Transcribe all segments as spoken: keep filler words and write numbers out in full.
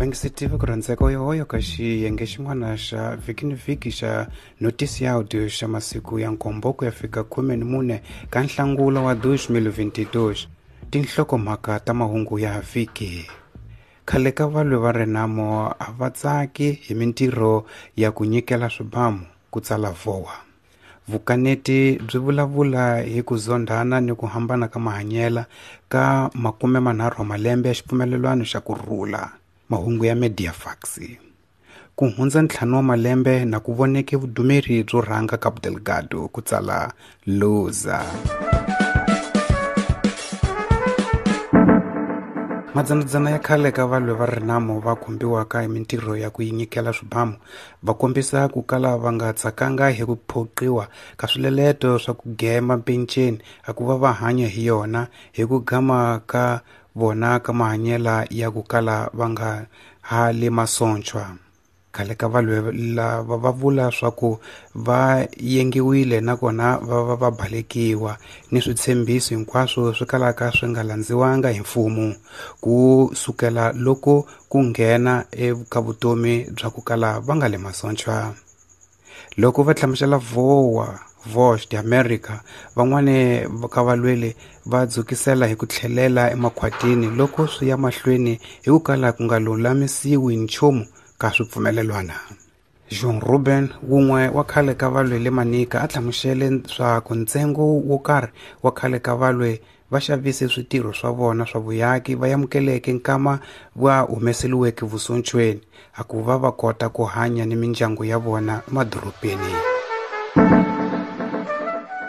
Vangisitiva ku rhandzeka yohoyo ka xiyenge xin'wana xa vhiki ni vhiki xa noticiáudio xa masiku ya nkombo ku ya fika khume ni mune ka nhlangula wa dois mil vinte e dois. Tinhlokomhaka ta mahungu ya vhiki. Khale ka valwi va Renamo a va tsaki hi mintirho ya ku nyikela swibamu ku tsala V O A. Vukaneti byi vulavula hi ku zondhana ni ku hambana ka mahanyela ka makume manharhu wa malembe ya xipfumelelwano xa ku rhula. Mahungu ya Mediafax. Ku hundza ntlhanu wa malembe na ku voneke vudumeri byo rhanga Cabo Delgado ku tsala Luza. Madzanadzana ya khale ka valwi va Renamo va khumbiwaka hi mintirho ya ku nyikela swibamu va kombisa ku kala va nga tsakanga hi ku phoqiwa ka swileleto swa ku gema penceni a ku va va hanya hi yona hi ku gama ka vona ka mahanyela ya ku kala va nga ha le masontshwa. Khale ka valwi lava va vula swa ku va yengiwile nakona va va va balekiwa ni switshembiso hinkwaswo swi kalaka swi nga landziwanga hi mfumo ku sukela loko ku nghena eka vutomi bya ku kala va nga le masontshwa. Loko va hlamusela V O A Voz de América, van'wani ka valweli va dzukisela hi ku tlhelela emakhwatini loko swi ya mahlweni hi ku kala ku nga lulamisiwi nchumu ka swipfumelelwana. João Ruben, wun'we wa khale ka valwi le Manica, a hlamusele swa ku ntsengo wo karhi wa khale ka valwi va xavise switirho swa vona swa vuyaki va amukeleke nkama va humeseliweke vusontshweni a ku va va kota ku hanya ni mindyangu ya vona emadorobeni.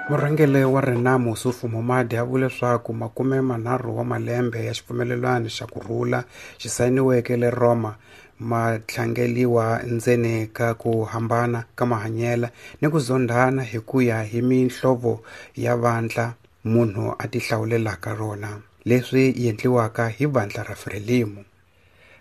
Murhangeri wa Renamo Ossufo Momade a vule leswaku makume manharhu wa malembe ya xipfumelelwano xa ku rhula xi sayiniweke le Roma ma tlangeliwa ndzeni ka ku hambana ka mahanyela ni ku zondhana hi ku ya hi mihlovo ya vandla munhu a tihlawulelaka rona, leswi endliwaka hi vandla ra Frelimo.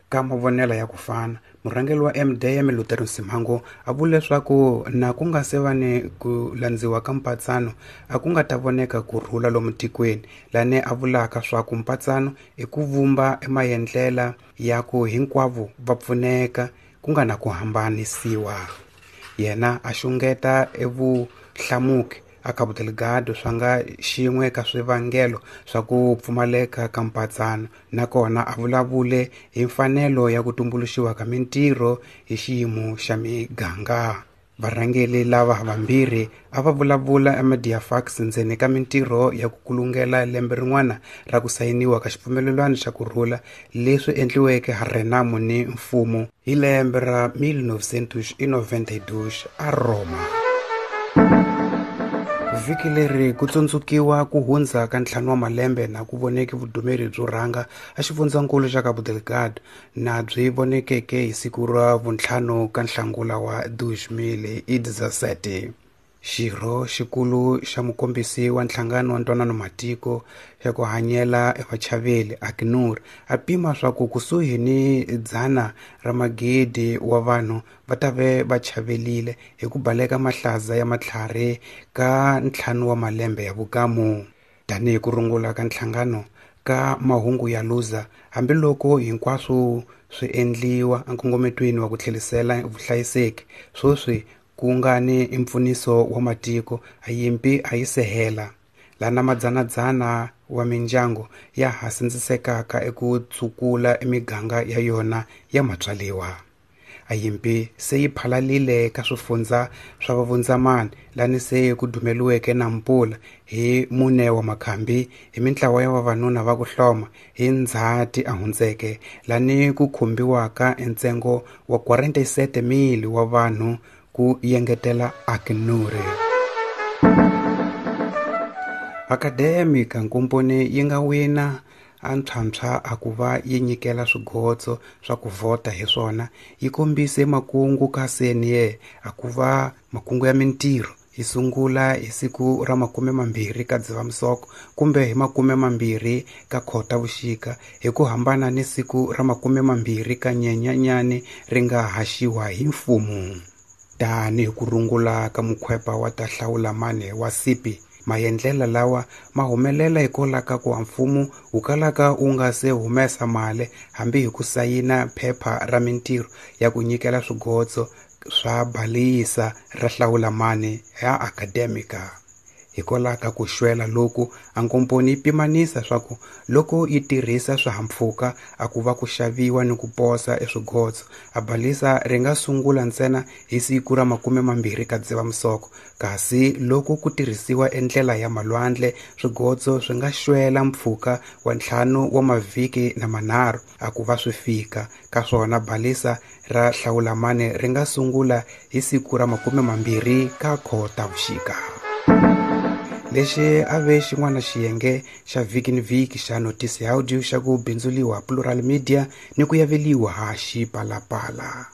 Ka mavonelo ya ku fana, murhangeri wa M D M Luther Msimango a vule leswaku na ku nga se va ni ku landziwa ka mpatsano a ku nga ta voneka ku rhula lomu tikweni, lani a vulaka swa ku mpatsano i ku vumba emaendlela ya ku hinkwavo va pfuneka ku nga na ku hambanisiwa. Yena a xungeta evuhlamuki a Cabo Delgado swa nga xin'we ka swivangelo swa ku pfumaleka ka mpatsano, nakona a vulavule hi mfanelo ya ku tumbuluxiwa ka mintirho hi xiyimo xa miganga. Varhangeri lava vambirhi a va vulavula eMediafax ndzeni ka mintirho ya ku kulungela lembe rin'wana ra ku sayiniwa ka xipfumelelwano xa ku rhula leswi endliweke ha Renamo ni mfumo hi lembe ra mil novecentos e noventa e dois a Roma. Vhiki leri ku tsundzukiwa ku hundza ka ntlhanu wa malembe na ku voneke vudumeri byo rhanga a xifundzankulu xa Cabo Delgado na byi vonekeke hi siku ra vuntlhanu ka nhlangula wa dois mil e dezessete. Xirho xikulu xa mukombisi wa nhlangano wa ntwanano matiko xa ku hanyela evachaveli ACNUR a pima swa ku kusuhi ni dzana ra magidi wa vanhu va ta ve va chavelile hi ku baleka mahlaza ya matlhari ka ntlhanu wa malembe ya vukamu. Tanihi ku rungula ka nhlangano ka mahungu ya Luza, hambiloko hinkwaswo swi endliwa enkongometweni wa ku tlherisela vuhlayiseki, sweswi ku nga ni mpfuniso wa matiko a yimpi a yi se hela, lana madzanadzana wa mindyangu ya ha sindzisekaka eku tsukula emiganga ya yona ya matswaliwa. A yimpi se yi phalalile ka swifundza swa vavundzamani lani se ku dumeliweke na mpula hi mune wa makhambi hi mintlawa ya vavanuna va ku hloma hi ndzhati a hundzeke lani ku khumbiwaka ntsengo wa quarenta e sete mil wa vanhu ku yengetela ACNUR. Academica nkomponi yi nga wina a ntlhantlha a ku va yi nyikela swigotso swa ku vhota hi swona yi kombise makungu ka C N E a ku va makungu ya mintirho yi sungula hi siku ra makume mambirhi ka Dzivamisoko kumbe hi makume mambirhi ka Khotavuxika hi ku hambana ni siku ra makume mambirhi ka Nyenyanyani ri nga haxiwa hi mfumo. Tanihi ku rungula ka mukhwepa wa ta hlawula mane wa C P Maendlela lawa ma humelela hikwalaho ka ku mfumo wu kalaka wu nga se humesa mali hambi hi ku sayina phepha ra mintirho ya ku nyikela swigotso swa balisa ra hlawulamani ya Academica. Hikwalaho ka ku xwela loku, a nkomponi yi pimanisa swa ku loko yi tirhisa swihahampfhuka a ku va ku xaviwa ni ku posa eswigotso, a balisa ri nga sungula ntsena hi siku ra makume mambirhi ka Dzivamisoko, kasi loko ku tirhisiwa endlela ya malwandle swigotso swi nga xwela mpfhuka wa ntlhanu wa mavhiki na manharhu a ku va swi fika. Ka swona balisa ra hlawulamani ri nga sungula hi siku ra makume mambirhi ka Khotavuxika. Lexi a ve xin'wana xiyenge xa vhiki ni vhiki xa Notice Audio xa ku bindzuliwa Plural Media ni ku yaveliwa ha Xipalapala.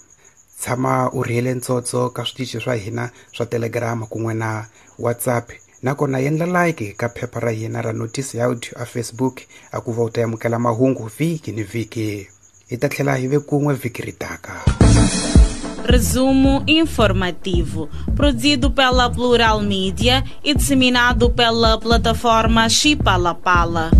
Tshama u rhiyele ntsotso ka switichi swa hina swa Telegram kun'we na WhatsApp, nakona endla like ka phepha ra hina ra Notice Audio a Facebook a ku va u ta amukela mahungu vhiki ni vhiki. Hi ta tlhela hi ve kun'we vhiki ri taka. Resumo informativo, produzido pela Plural Mídia e disseminado pela plataforma Xipalapala.